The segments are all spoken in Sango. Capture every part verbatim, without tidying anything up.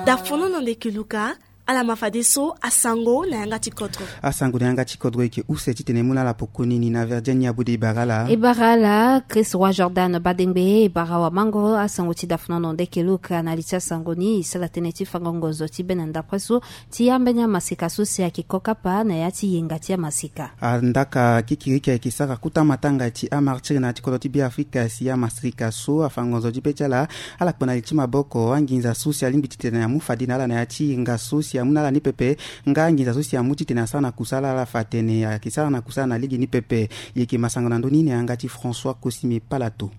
Dafonono ndeke Luka. Ala ma fadeso asango na yanga ti kodro. Asango na yanga ti kodro eke use titene e mu na ala poko nini na Virginia Bude e bara ala. E bara ala Chris Roi Jordan Badengbe, e bara wamango asango ti dafonono ndeke Luka. Na li ti asango ni e sara tënë ti fango ngonzo ti be na ndapre so ti ambeni amaseka so si ayeke ko kapa na ya ti yenga ti amaseka. Andaka kikiriki ayeke sara kota matanga ti amartiri na ya ti kodro ti Beafrika si amaseka so afa ngonzo ti be ti ala. Ala kpe na li ti maboko anginza so si alingbi titene amu fade na ala na ya ti yenga so si amu na ala ni pepe. Nga anginza so si amu titene asara na kusala ala fa atene ayeke sara na kusala na lege ni pepe. Yeke masango na ndö ni na yanga ti François Cosime Palato.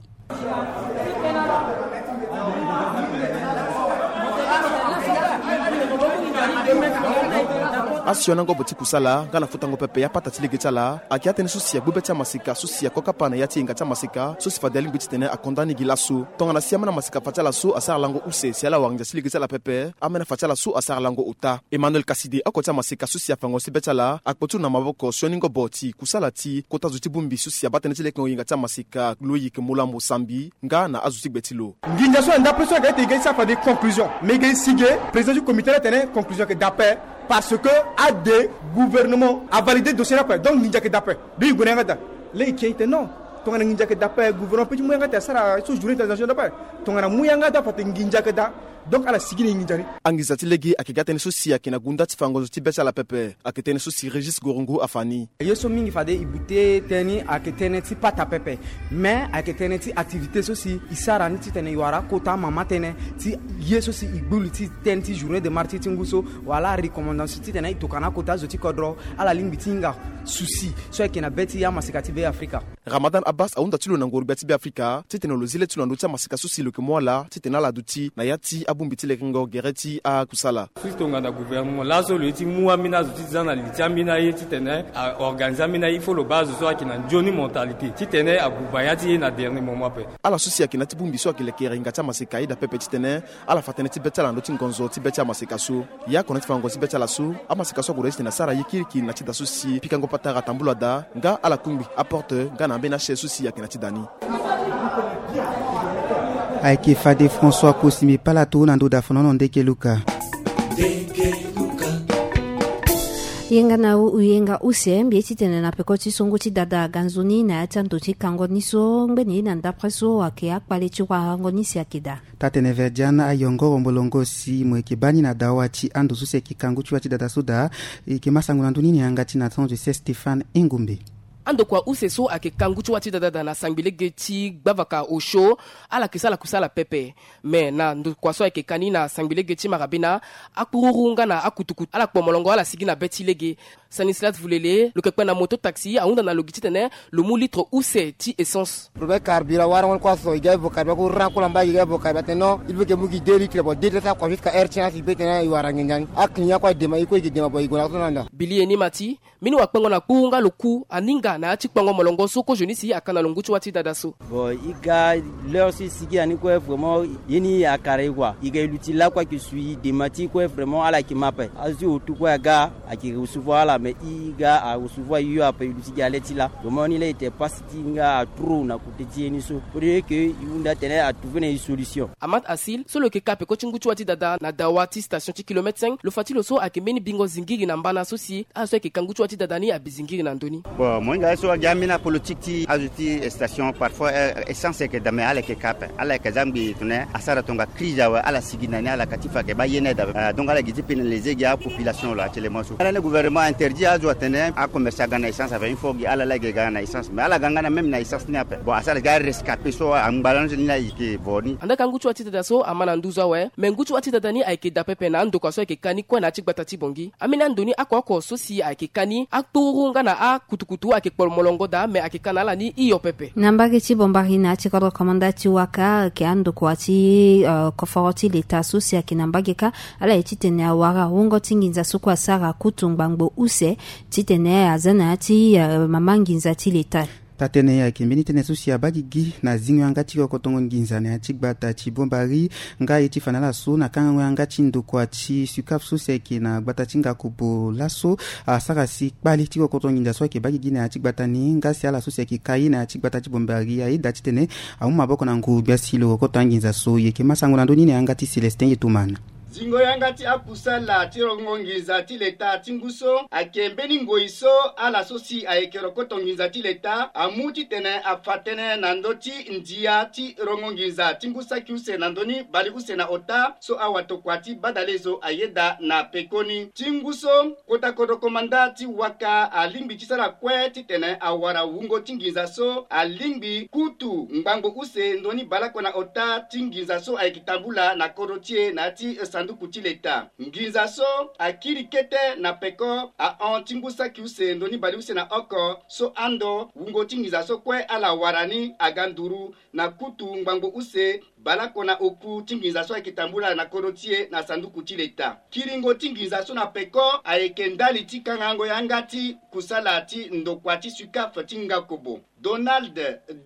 Asioni angobo ti kusala nga na futango pepe ya pata ti lege ti ala ayeke atënë so si agbu be ti amaseka so si ako kapa na ya ti yenga ti amaseka so si fade alingbi titene akonda ni gi laso. Tongana si ameni amaseka fa ti ala so asara lango use si ala wara nginza ti lege ti ala pepe, ameni afa ti ala so asara lango ota. Emmanuel Kaside, oko ti amaseka so si afa ngonzo ti be ti ala, akpo ti lo na maboko sioni ngobo ti kusala ti kota zo ti bongbi so si abaa tënë ti lekengo yenga ti amaseka, Loïc Molamo Sambi, nga na azo ti gbe ti lo. Nginza so na ndapre so ayeke ete e ga e sara fade conclusion. Mais e ga e si ge, président ti comité la atene conclusion ayeke daa ape. Parce que ade gouvernement avalide dossier ni ape. Donc nginza ayeke daa ape. Donc e gue na yanga daa. Lê e ke e tene non. Tongana nginza ayeke daa ape, gouvernement peut ti mu yanga daa asara so journée internationale daa ape. Tongana amu yanga daa ape ate nginza ayeke daa. Donc ala sigi na e nginza ni. Anginza ti lege ayeke ga tënë so si ayeke na gunda ti fa ngonzo ti be ti ala pepe. Ayeke tënë so si Régis Gorongo afa ni. Ye so mingi fade e bute tënë ni ayeke tënë ti pata pepe. Mais ayeke tënë ti activité so si e sara ni titene e wara akota amama tënë ti ye so si e gbu li ti tënë ti journée de martyr ti ngu so, wala recommandation titene e tokana akota zo ti kodro ala lingbi ti hinga souci so ayeke na be ti amaseka ti Beafrika. Ramadan Abbas ahunda ti lo na ngoro-gbia ti Beafrika titene lo zi le ti lo na ndö ti amaseka so si lo yeke mu ala titene ala duti na ya ti abongbi ti lekengo gere ti akusala. Surtout tongana gouvernement laso lo ye ti mu ambeni azo ti za na li ti ambeni aye titene a organiser ambeni aye, il faut lo baa azo so ayeke na nzoni mentalité titene abuba ya ti ye na dernier moment ape. Ala so si ayeke na ya ti bongbi so ayeke lekere yenga ti amaseka aye daa pepe titene ala fa tënë ti be ti ala na ndö ti ngonzo ti be ti amaseka so. Ya oko na ya ti fa ngonzo ti be ti ala so, amaseka so ague daa titene asara ye kirikiri na ya ti da so si pikango patara tambula daa nga ala kungbi aporte nga na ambeni achaise so si ayeke na ya ti da ni. Ayeke fade François Cosime Palato na ndö dafonono ndeke Luka. Yenga na u yenga use mbi ye titene na peko ti songo ti dada aga nzoni na ya ti ando ti kango ni so ngbeni na ndapre so ayeke akpale ti warango ni si ayeke daa. Taa-tene Verdiane ayongoro molongo si mo yeke baa ni na dawa ti ando so si ayeke kangu ti wa ti dada so daa. E yeke ma sango na ndö ni na yanga ti na temps de se Stéphane Engombe. Andokua use so ayeke kangu ti wa ti dada daa na sangbi lege ti gbavaka osio. Ala yeke sala kusala pepe. Me na ndokua so ayeke ka ni na sangbi lege ti marabina, akpururu nga na akutukutu ala kpo molongo ala sigi na be ti lege. Stanislas Vulele lo yeke kpe na moto taxi ahunda na lo gi titene lo mu litre use ti essence. Problème carburant warango ni kue aso e ga évo carburant ku ran ku lamba e ga évo carburant atene non, il faut que e mu gi deux litres bon deux litres ti akua jusqu'à heure ti na si be tene e wara nginza ni. Aclient kue adema e kue e gi dema bon e gue na so na nda. Bili ye ni ma ti mbeni wakpengo na kpuru nga lo ku aninga na ya ti kpengo molongo so kozoni si aka na lo ngu ti wa ti dada so. Bon e ga l'heure so e sigi na ni kue vraiment ye ni akara e kua e ga e luti lakue ayeke sui dema ti e kue vraiment ala yeke ma ape. Azo ti otu kue aga ayeke recevoir ala mais e ga arecevoir e yo ape e luti gi ale ti la. Vraiment ni la e tene pasi ti nga atro na kote ti ye ni so. Faudrait que e hunda atene atrouver na e solution. Amat Asil so lo yeke ka peko ti ngu ti wa ti dada na dawa ti station ti kilomètre cinq lo fa ti lo so ayeke mbeni bingo zingiri na mbana so si ala so ayeke ka ngu ti wa ti dada ni abi zingiri na ndö ni. Bon mo hinga ye so agi ambeni apolitique ti azo ti station parfois essence ayeke dame ala yeke ka ape ala yeke za ngbii tene asara tonga crise awe ala sigi na ni ala ka ti fa ayeke baa ye ni aye dame. Donc ala gi ti pénaliser gi apopulation lo actuellement so ala ni gouvernement interdit azo atene acommerce aga na essence ape il faut gi ala la yeke ga na essence mais ala ga nga na même na essence ni ape bon asara gi arescapé so angbalange ni la yeke vo ni. Andaa ka ngu ti wa ti dada so ama na nduzu awe me ngu ti wa ti dada ni ayeke daa pepe na andokua so ayeke ka ni kue na ya ti gbata ti bongi. Ambeni ando ni oko oko so si ayeke ka ni akpururu nga na akutukutu ayeke kpo molongo daa me ayeke ka na ala ni hio pepe. Na mbage ti bombari na ya ti kodro komanda ti waka ayeke andokua ti koforo ti leta so si ayeke na mbage kâ. Ala ye titene awara wungo ti nginza so kue asara kutu ngbangbo use titene aza na ya ti mama nginza ti leta. Taa-tënë ayeke mbeni tënë so si abaa gigi na zingo yanga ti kokotongo nginza na ya ti gbata ti Bombari. Nga ye ti fa na ala so na kangango yanga ti ndokua ti Sucaf so si ayeke na gbata ti Ngakobo laso asara si kpale ti kokotongo nginza so ayeke baa gigi na ya ti gbata ni. Nga si ala so si ayeke kai na ya ti gbata ti Bombari ayeda titene amu maboko na ngu gbia si lo kokoto anginza so. Ye yeke ma sango na ndö ni na yanga ti Célestin Yetoman. Zingo yanga ti akusala ti rongo nginza ti leta ti ngu so ayeke mbeni ngoi so ala so si ayeke rokoto nginza ti leta amu titene afa tënë na ndö ti ndia ti rongo nginza ti ngu saki use na ndö ni bale use na ota so awatokua ti badalezo ayeda na pekoni ti ngu so. Kota kodro komanda ti waka alingbi ti sara kue titene awara wungo ti nginza so alingbi kutu ngbangbo use ndö ni baleoko na ota ti nginza so ayeke tambula na kodro ti e na ya ti sanduku ti leta. Nginza so akiri kete na peko ahon ti ngu saki use ndö ni baleuse na oko so ando wungo ti nginza so kue ala wara ni aga nduru na kutu ngbangbo use baleoko na oku ti nginza so ayeke tambula na kodro ti e na sanduku ti leta. Kiringo ti nginza so na peko ayeke ndali ti kangango yanga ti kusala ti ndokua ti Sucaf ti Ngakobo. Donald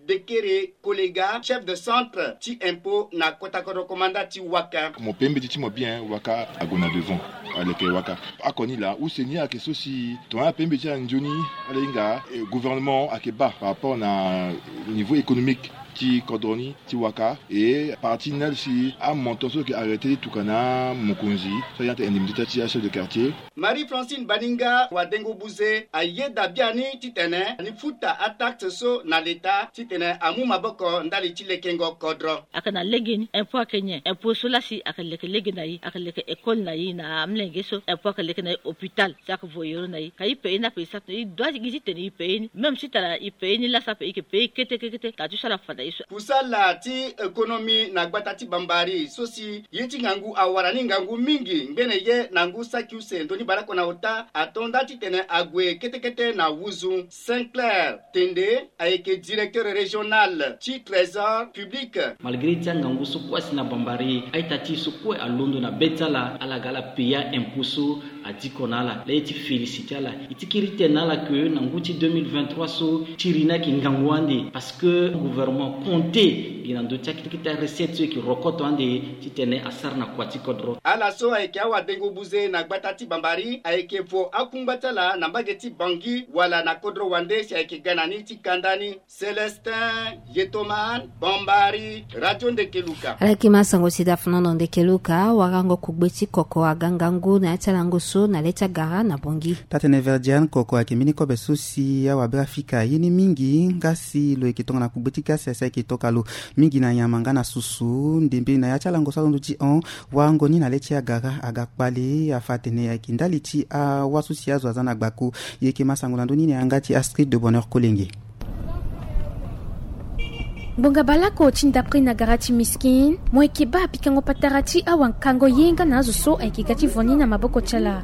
Dekere Kolega, chef de centre ti impôt na kota kodro komanda ti waka. Mo pe mbeti ti mo bien, waka ague na devant. Aleke waka akoni laa use ni ayeke so si tongana ape mbeti ala nzoni ala hinga gouvernement ayeke baa par rapport na niveau économique ti kodro ni ti waka. E parti ni ala si amontant so ayeke arrêté ti tuka na amokonzi so ayeke indemnité ti achef de quartier. Marie Francine Baninga wadengo buze ayeda biani titene ani futa ataxe so na leta titene amu maboko ndali ti lekengo kodro. Ayeke na legeni impôt ayeke nyen? Impôt so lasi ayeke leke lege na i, ayeke leke école na i na amlenge so, impôt ayeke leke na i hôpital si ayeke voyero na i ka i pe i ni ape i sara tene i dua gi titene i pe i ni même si tara i pe i ni lasi ape i yeke pe i kete kete kete ka ti so ala fa na i so. Kusala ti économie na gbata ti Bambari so si ye ti ngangu awara ni ngangu mingi ngbene ye na ngu saki use ndö ni baleoko na ota ato nda titene ague kete kete na wuzu. Saint Clair Tende ayeke directeur régional ti trésor public. Malgré ti angangu so kue asi na Bambari, a-ita ti e so kue alondo na be ti ala, ala ga ala paya impôt so adiko na ala. Laa ye ti félicité ala, e ti kiri tene na ala ke na ngu ti deux mille vingt-trois so ti iri ni ayeke ngangu ande parce que gouvernement compté gi na ndö ti akete kete arecette so e yeke rokoto ande titene asara na kua ti kodro. Ala so ayeke awadengo buze na gbata ti Bambari ayeke vo akungba ti ala na mbage ti Bangui wala na kodro wande si ayeke ga na ni ti kanda ni. Célestin Yetoman, Bambari, Radio Ndekeluka. Ala yeke ma sango si da fanono Ndekeluka. Warango kugbe ti koko aga ngangu na ya ti alango so na le ti agara na Bangui. Taa-tënë Verdiane, koko ayeke mbeni kobe so si awabira fika ye ni mingi nga si lo yeke tongana kugbe ti gasi asi ayeke toka lo mingi na nyama nga na susu ndembe na ya ti alango so alondo ti hon. Warango ni na le ti agara aga kpale afa atene ayeke ndali ti awa so si azo aza na gbako. Ye yeke ma sango na ndö ni na yanga ti Astrid de Bonheur Kolenge. Ngbonga baleoko ti ndapre na gara ti Miskin, mo yeke baa pikango patara ti awankango ye nga na azo so ayeke ga ti vo ni na maboko ti ala.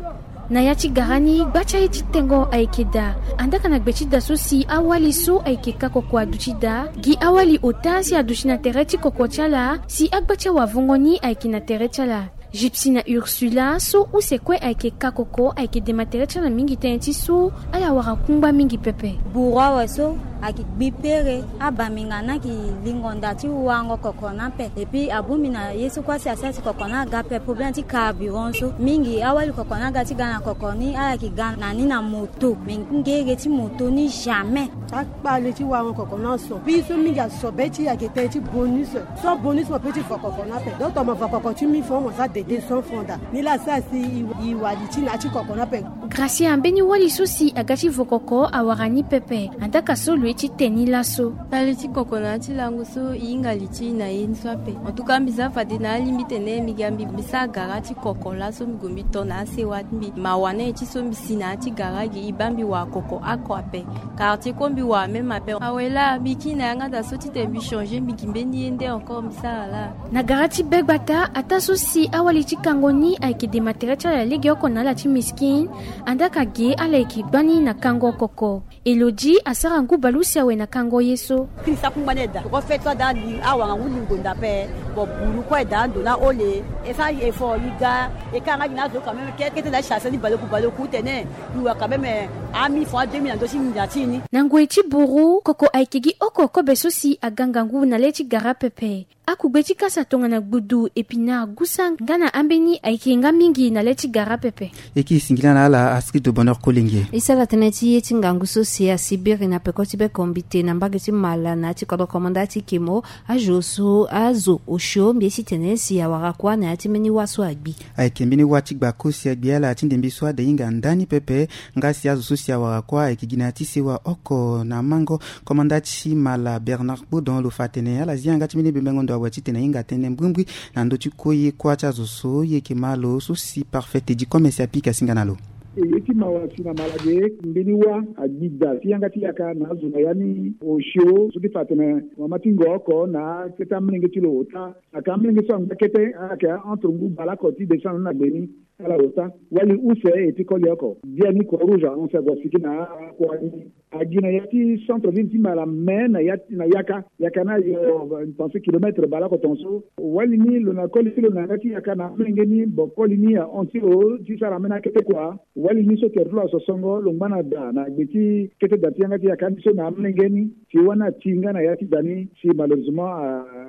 Na ya ti gara ni gba ti aye ti tengo ayeke daa. Andaa ka na gbe ti daa so si awali so ayeke kakoko aduti daa gi awali ota si aduti na tere ti koko ti ala si agba ti awavongo ni ayeke na tere ti ala. Gypsy na Ursula so use kue ayeke kakoko ayeke dema tere ti ala mingi tënë ti so ala wara kungba mingi pepe. Buru awe so ayeke gbi pere, abambi nga ni ayeke lingo nda ti warango koko ni ape. Epui abongbi na ye so kue asi asara ti koko ni aga ape problème ti carburant so mingi. Awali koko ni aga ti ga na koko ni ala yeke ga na ni na moto, me ngege ti moto ni jamais. Akpale ti warango koko ni aso. Mbi so mingi aso be ti e ayeke tënë ti bonus. So bonus mo pe ti vo koko ni ape. Donc tongana mo vo koko ti mille francs mo sara deux cents francs daa. Ni laa asara si e wali ti na ya ti koko ni ape. Gracia, mbeni wali so si aga ti vo koko awara ni pepe. Andaa ka so lo ye ti te ni laso. Kpale ti koko na ya ti lango so e hinga li ti e na ye ni so ape. En tout cas mbi za fade na alingbi tene mbi ga mbi mbi sara gara ti koko laso mbi gue mbi to na asewa ti mbi. Mawa na ye ti so mbi si na ya ti gara gi e baa mbi wara koko oko ape. Quartier kue mbi wara même ape. Awe laa mbi kiri na yanga daa so titene mbi changer mbi gi mbeni ye nde encore mbi sara laa. Na gara ti be gbata ataa so si awali ti kango ni ayeke dema tere ti ala legeoko na ala ti Miskin. Andaa ka ge ala yeke gbani na kango koko. Elodie asara ngu bale Lusi awe na kango ye so. Kiri sa kungba na eda ko fete so ada li awanga ngu lingo nda pe. Bon, buru kue eda ando na ole. E sa e fo li ga. E ka nga gi na zo quand même kete na sasa ni baloku baloku tene. Ni wa quand même ami fo a deux mille na ndo si ni nda ti ni. Na ngoi ti buru koko ayeke gi oko kobe so si aga ngangu na le ti gara pepe. Akugbe ti kasa tongana gbudu, épinard, gusa nga na ambeni ayeke nga mingi na le ti gara pepe. E ki singila na ala Astrid de Bonheur Kolenge. E sara tënë ti ye ti ngangu so si asi biri na peko ti be kombite na mbage ti mala na ya ti kodro komanda ti kemo. Azo so azo osio mbi ye ti tene si awara kuâ na ya ti mbeni wâ so agbi. Ayeke mbeni wâ ti gba kosi agbi ala ti ndembe so ade hinga ndani pepe. Nga si azo so si awara kuâ ayeke gi na ya ti sewa oko na mango. Komanda ti mala Bernard Kpodon lo fa atene ala zi yanga ti mbeni bembengo ndo awe titene ahinga tënë mbrimbri na ndö ti kue ye kuâ ti azo so ye yeke ma lo so si Parfait Teddy Commerce apika singa na lo. E ye ti mawa si na mala ge mbeni wâ agbi daa ti yanga ti yaka na azo na ya ni osio so ti fa atene mama ti ngo oko na akete amolenge ti lo ota. Ayeke amolenge so angba kete ayeke entre ngu baleoko ti décembre na gbe ni. Ala ota wali use e ti koli oko. Biani Croix Rouge ahon si ague asiki na akua ni. Agi na ya ti centre ville ti mala me na ya na yaka yaka na yo pense kilomètre baleoko tongaso. Wali ni lo na koli ti lo na yanga ti yaka na amolenge ni bo koli ni ahon ti lo ti sara ambeni akete kua. Wali ni so tere ti lo asosongo lo ngba na da na gbe ti kete da ti yanga ti yaka ni so na amolenge ni. Si wani ati nga na ya ti da ni si malheureusement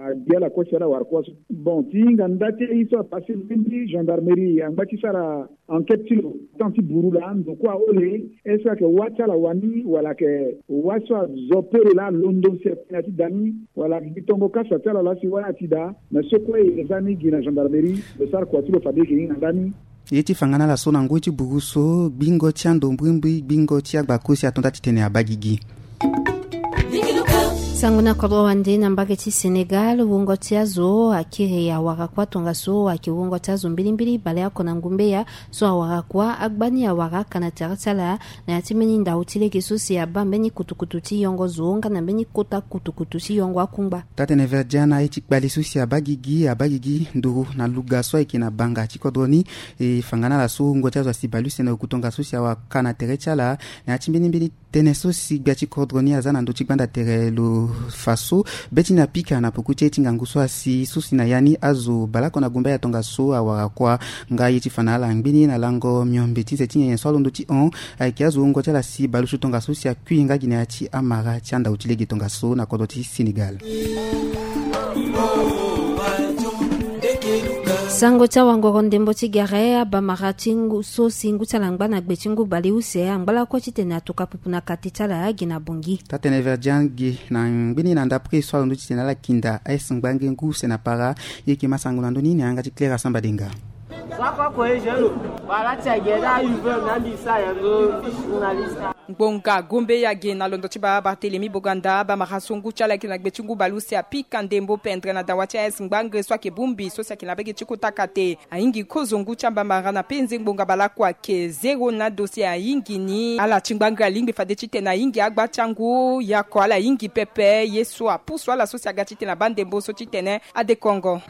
agbi ala kue si ala wara kue so. Bon ti hinga nda ti aye so apasse mbeni gendarmerie angba ti sara enquête ti lo. Temps ti buru laa ndo kue aole est-ce que ayeke wâ ti ala wani wala ayeke wâ so azo pere laa alondo si atene na ya ti da ni wala ayeke gi tongo kasa ti ala laa si wani ati daa. Mais so kue e za ni gi na gendarmerie lo sara kua ti lo fade e yeke hinga nda ni. Ye ti fa nga na ala so na ngoi ti buru so gbingo ti ando mbrimbri gbingo ti agba kosi ato nda titene abaa gigi. Sango na kodro wande na mbage ti Sénégal wungo ti azo akiri awara kuâ tongaso ayeke wungo ti azo mbilimbili baleoko na ngumbeya so awara kuâ agba ni awara aka na tere ti ala na ya ti mbeni ndau ti lege so si abaa mbeni kutukutu ti yongo zo nga na mbeni kota kutukutu ti yongo akungba. Taa-tene Verdian na ye ti kpale so si abaa gigi abaa gigi nduru na luga so ayeke na banga ti kodro ni. E fa nga na ala so wungo ti azo asi baleuse na oku tongaso si awara aka na tere ti ala na ya ti mbeni mbeni tënë so si gbia ti kodro ni aza na ndö ti gbanda tere lo fa so be ti ni apika na poko ti aye ti ngangu so asi so si na ya ni azo baleoko na gumbeya tongaso awara kuâ. Nga ye ti fa na ala ngbeni na lango miombe ti nze ti nyenye so alondo ti hon. Ayeke azo wungo ti ala si baleuse tongaso si akui nga gi na ya ti amara ti andau ti lege tongaso na kodro ti Sénégal. Sango ti awangoro ndembo ti gere abamara ti ngu so si ngu ti ala angba na gbe ti ngu baleuse angba lakue titene atuka pupu na kate ti ala gi na bongi. Taa-tene Verdian gi na ngbeni na ndapre so alondo titene ala kinda aye si ngbange ngu use na para. Ye yeke ma sango na ndö ni na yanga ti Claire Asamba Denga. Ngbonga gombe ya ge na londo ti baba Barthélemy Boganda abamara so ngu ti ala ayeke na gbe ti ngu baleuse apika ndembo pendre na dawa ti aye si ngbange so ayeke bongbi so si ayeke na mbage ti kota kate. Ahingi kozo ngu ti abamara na penze ngbonga baleoko ayeke zéro na do si ahingi ni ala ti ngbange alingbi fade titene ahingi agba ti angu yako ala hingi pepe ye so apusu ala so si aga titene abaa ndembo so titene adekongo.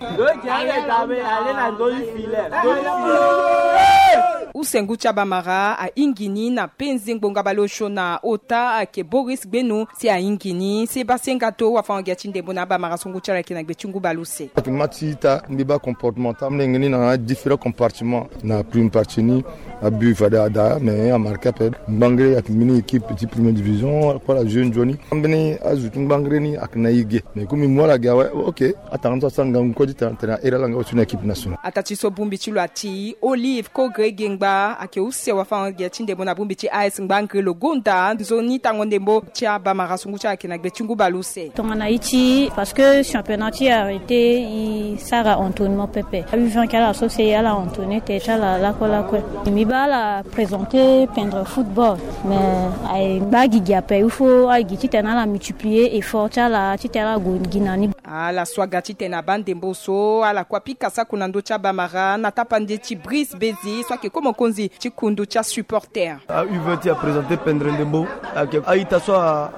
Use ngu ti abamara ahingi ni na penze ngbonga baleosio na ota ayeke Boris Gbenu si ahingi ni si e baa senga to wafango-gia ti ndembo na abamara so ngu ti ala ayeke na gbe ti ngu baleuse. Ayeke ma ti ita mbi baa comportement ti amolenge ni na différents compartiments. Na prime partie ni abut fade ada mais amarke ape. Ngbangre ayeke mbeni équipe ti première division kue ala jeu nzoni. Ambeni azo ti ngbangre ni ayeke na e ge mais comme mbi mu ala ge awe ok. Atanga so asara ngangu kue ti tene atene ahere ala nga aussi na équipe nationale. Ataa ti so bongbi ti lo ati Olive Kogre Gengba ayeke use wafango-gia ti ndembo na bongbi ti A S Ngbangre lo gonda nzoni tango ndembo ti abamara so ngu ti ala ayeke na gbe ti ngu baleuse. Tongana e ti parce que championnat ti arrêté e sara entraînement pepe. A-U vingt ti ala so si ala entraîné tere ti ala lakue lakue. Mbi baa ala présenter pendre football mais aye baa gigi ape il faut aye gi titene ala multiplier effort ti ala titene ala gue gi na ni. Ala so aga titene abaa ndembo so ala kue apika sako na ndö ti abamara na tapande ti Brice Bezi so ayeke ko mokonzi ti kundu ti asupporter. A-U vingt ti aprésenter pendre ndembo ayeke a-ita so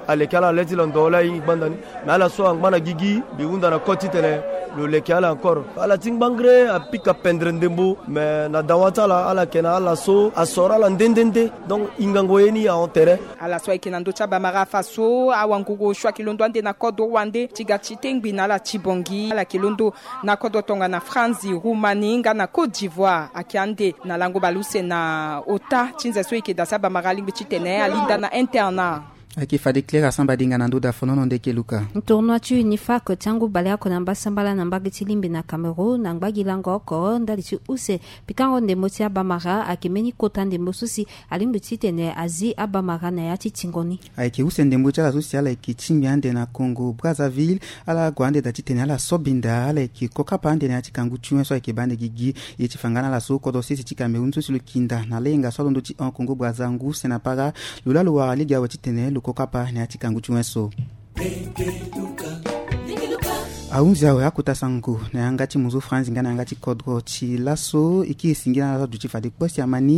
aleke ala le ti londo laa e gbanda ni. Mais ala so angba na gigi mbi hunda na kode titene Lo leke ala encore, ala ti ngbangre apika pendre ndembo. Me na dawa ti ala ala yeke na ala so asoro ala nde nde nde. Donc ingango ye ni ahon tere. Ala so ayeke na ndö ti abamara afa so awangogo so ayeke londo ande na kodro wande ti ga ti tengbi na ala ti bongi ala yeke londo na kodro tongana France, Roumanie nga na Côte d'Ivoire ayeke ande na lango baleuse na ota ti nze so e yeke daa si abamara alingbi titene alinda na internat. Ayeke fade claire asamba dinga na ndö da fonono ndeke luka. Tournoi ti unifac ti angu baleoko na mbasambala na mbage ti limbi na Cameroun na ngbagi lango oko ndali ti use pikango ndembo ti abamara ayeke mbeni kota ndembo so si alingbi titene azi abamara na ya ti tingo ni. Ayeke use ndembo ti ala so si ala yeke tingbi ande na Congo Brazzaville. Ala gue ande daa titene ala so binda ala yeke kokapa ande na ya ti kangu ti wen so ayeke baa ande gigi. Ye ti fa nga na ala so kodro sese ti Cameroun so si lo yeke nda na lenga so alondo ti hon Congo Brazza ngu se na para. Lo laa lo wara lege awe titene lo kokapa na ya ti kangu ti wen so. Ahunzi awe akota sango na yanga ti mozo franzi nga na yanga ti kodro ti laso e kiri singi na ala so aduti fade kpo si ama ni.